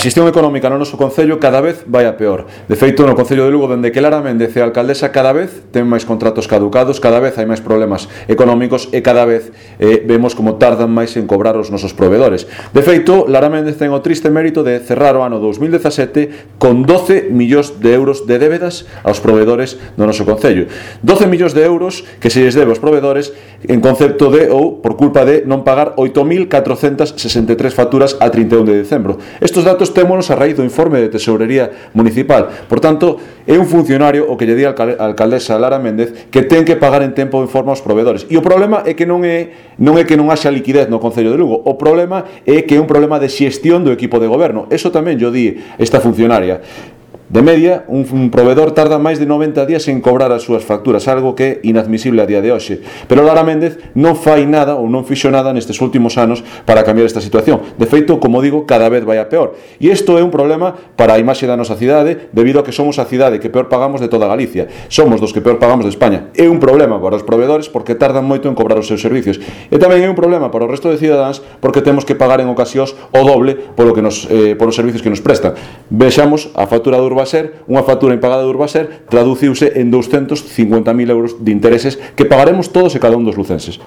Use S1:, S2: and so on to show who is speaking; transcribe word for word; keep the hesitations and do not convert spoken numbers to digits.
S1: xestión económica no noso concello cada vez vai a peor. De feito, no concello de Lugo, dende que Lara Méndez é alcaldesa, cada vez ten máis contratos caducados, cada vez hai máis problemas económicos e cada vez eh, vemos como tardan máis en cobrar os nosos proveedores. De feito, Lara Méndez ten o triste mérito de cerrar o ano dous mil dezasete con doce millóns de euros de débedas aos proveedores do noso concello. doce millóns de euros que se lles debe aos proveedores en concepto de, ou por culpa de non pagar oito mil catrocentas sesenta e tres facturas a trinta e un de decembro. Estos datos témonos a raíz do informe de Tesourería Municipal. Por tanto, é un funcionario o que lle di a alcaldesa Lara Méndez que ten que pagar en tempo en forma aos proveedores. E o problema é que non é non é que non haxa liquidez no Concello de Lugo. O problema é que é un problema de xestión do equipo de goberno. Eso tamén yo di esta funcionaria. De media, un, un proveedor tarda máis de noventa días en cobrar as súas facturas, algo que é inadmisible a día de hoxe. Pero Lara Méndez non fai nada ou non fixo nada nestes últimos anos para cambiar esta situación. De feito, como digo, cada vez vai a peor. E isto é un problema para a imaxe da nosa cidade, debido a que somos a cidade que peor pagamos de toda Galicia. Somos dos que peor pagamos de España. É un problema para os proveedores porque tardan moito en cobrar os seus servicios. E tamén é un problema para o resto de cidadáns porque temos que pagar en ocasións o doble polo que nos, eh, polos servicios que nos prestan. Vexamos a factura do Urbaser, unha factura impagada de Urbaser traduciuse en douscentos cincuenta mil euros de intereses que pagaremos todos e cada un dos lucenses.